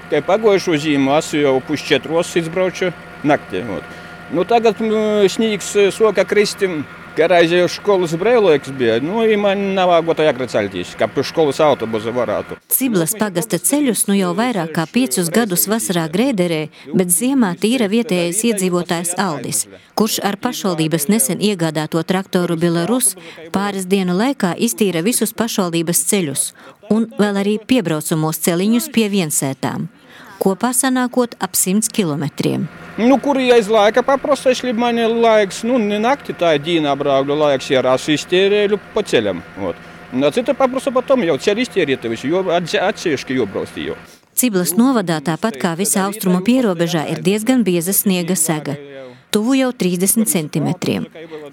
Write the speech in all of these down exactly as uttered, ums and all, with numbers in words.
Kā pagojušo zīmu esmu jau pusčetros izbrauču naktī. Nu, tagad sniegs soka kristim, kā reizē jau školas brēloks bija. Nu, man nav gota jāgracaļtīs, kā pie školas autobusa varētu. Ciblas pagasta ceļus nu jau vairāk kā piecus gadus vasarā grēderē, bet ziemā tīra vietējais iedzīvotājs Aldis, kurš ar pašvaldības nesen iegādāto traktoru Belarus pāris dienu laikā iztīra visus pašvaldības ceļus un vēl arī piebraucamos celiņus pie viensētām. Kopā sanākot ap simts kilometriem. Nu, kur aiz laika paprosta, ja man ir laiks, nu, ne nakti, tā ir dīnā braukļu laiks, ja raz iztērēju pa ceļam. Un cita paprosta potom jau ceļu iztērēta visu, jo atsevišķi jobrausti jau. Ciblas novadā, tāpat kā visā austrumu pierobežā, ir diezgan bieza sniega sega. Tuvu jau trīsdesmit centimetriem.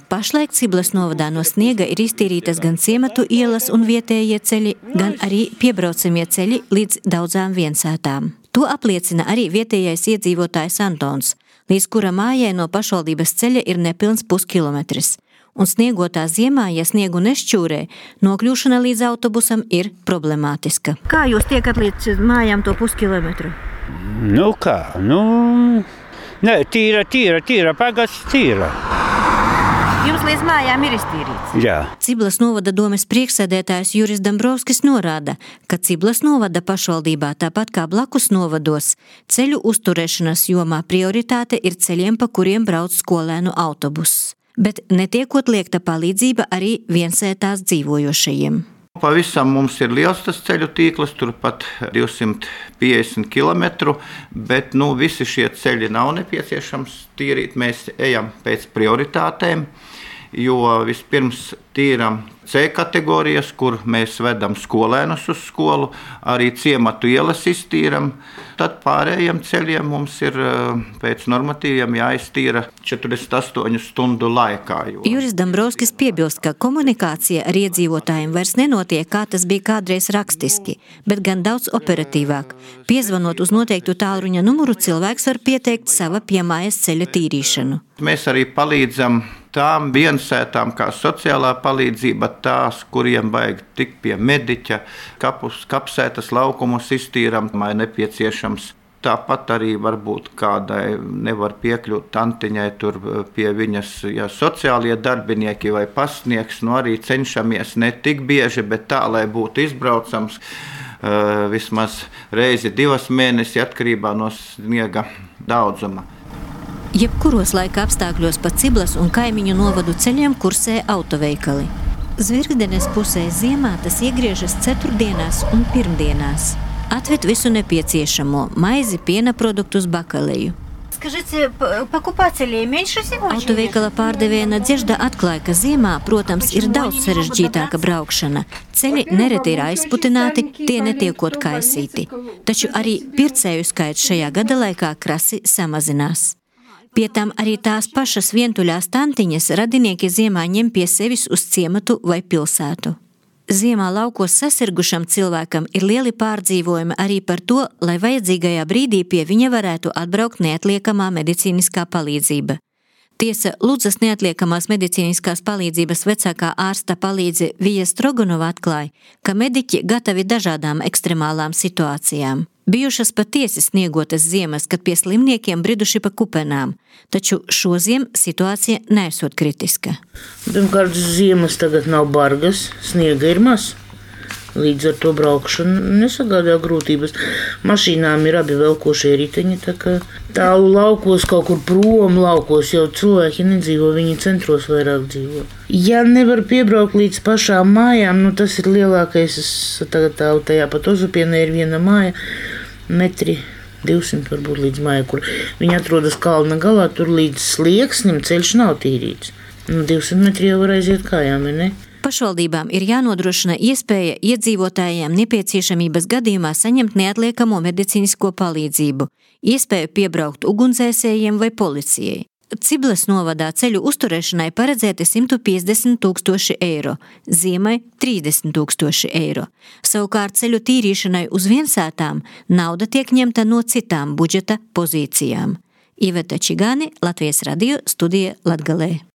Pašlaik Ciblas novadā no sniega ir iztīrītas gan ciematu ielas un vietējie ceļi, gan arī piebraucamie ceļi līdz daudzām viensētām. To apliecina arī vietējais iedzīvotājs Antons, līdz kura mājai no pašvaldības ceļa ir nepilns puskilometris. Un sniegotā ziemā, ja sniegu nešķūrē, nokļūšana līdz autobusam ir problemātiska. Kā jūs tiekat līdz mājām to puskilometru? Nu kā, nu... Nē, tīra, tīra, tīra, pagasts tīra. Jums līdz mājām ir iztīrīts? Jā. Ciblas novada domes priekšsēdētājs Juris Dambrovskis norāda, ka Ciblas novada pašvaldībā, tāpat kā blakus novados, ceļu uzturēšanas jomā prioritāte ir ceļiem, pa kuriem brauc skolēnu autobuss. Bet netiekot liekta palīdzība arī viensētās dzīvojošajiem. Pavisam mums ir liels tas ceļu tīkls, turpat divsimt piecdesmit kilometru, bet nu, visi šie ceļi nav nepieciešams tīrīt. Mēs ejam pēc prioritātēm, jo vispirms tīram C kategorijas, kur mēs vedam skolēnus uz skolu, arī ciematu ielas iztīram. Tad pārējiem ceļiem mums ir pēc normatīviem jāiztīra četrdesmit astoņu stundu laikā. Jo... Juris Dambrovskis piebilst, ka komunikācija ar iedzīvotājiem vairs nenotiek, kā tas bija kādreiz rakstiski, bet gan daudz operatīvāk. Piezvanot uz noteiktu tālruņa numuru, cilvēks var pieteikt sava piemājas ceļa tīrīšanu. Mēs arī palīdzam tām viensētām kā sociālā palīdzība, tās, kuriem vajag tikt pie mediķa, kapus, kapsētas laukumus iztīram, vai nepieciešams. Tāpat arī varbūt kādai nevar piekļūt tantiņai tur pie viņas, ja sociālie darbinieki vai pasniegs, nu arī cenšamies ne tik bieži, bet tā, lai būtu izbraucams uh, vismaz reizi divas mēnesi atkarībā no sniega daudzuma. Jebkuros laika apstākļos pa Ciblas un kaimiņu novadu ceļiem kursē autoveikali. Zvirgdenes pusē ziemā tas iegriežas ceturtdienās un pirmdienās. Atved visu nepieciešamo – maizi, piena produktus, bakaleju. Скажите, покупателей меньше сегодня? Autoveikala pārdevēja Nadežda atklāja, ka ziemā, protams, ir daudz sarežģītāka braukšana. Ceļi nereti ir aizputināti, tie netiekot kaisīti. Taču arī pircēju skaits šajā gada laikā krasi samazinās. Pie tam arī tās pašas vientuļās tantiņas radinieki ziemā ņem pie sevis uz ciematu vai pilsētu. Ziemā laukos sasirgušam cilvēkam ir lieli pārdzīvojumi arī par to, lai vajadzīgajā brīdī pie viņa varētu atbraukt neatliekamā medicīniskā palīdzība. Tiesa, Ludzas neatliekamās medicīniskās palīdzības vecākā ārsta palīdze Vija Stroganova atklāja, ka mediķi gatavi dažādām ekstremālām situācijām. Bijušas patiesi sniegotas ziemas, kad pie slimniekiem briduši pa kupenām, taču šoziem situācija neesot kritiska. Pirmkārt, ziemas tagad nav bargas, sniega ir maz. Līdz ar to braukšana nesagādā grūtības. Mašīnām ir abi velkošie riteņi, tā kā tālu laukos, kaut kur prom laukos, jau cilvēki nedzīvo, viņi centros vairāk dzīvo. Ja nevar piebraukt līdz pašām mājām, nu tas ir lielākais, es tagad tā, tajā pat Ozupienē ir viena māja, metri divsimt varbūt līdz mājai, kur viņi atrodas kalna galā, tur līdz slieksnim ceļš nav tīrīts. Nu, divsimt metri jau var aiziet kājām, ne? Pašvaldībām ir jānodrošina iespēja iedzīvotājiem nepieciešamības gadījumā saņemt neatliekamo medicīnisko palīdzību, iespēju piebraukt ugunsdzēsējiem vai policijai. Ciblas novadā ceļu uzturēšanai paredzēti simt piecdesmit tūkstoši eiro, ziemai trīsdesmit tūkstoši eiro. Savukārt ceļu tīrīšanai uz viensētām nauda tiek ņemta no citām budžeta pozīcijām. Iveta Čigāni, Latvijas radio, studija Latgalē.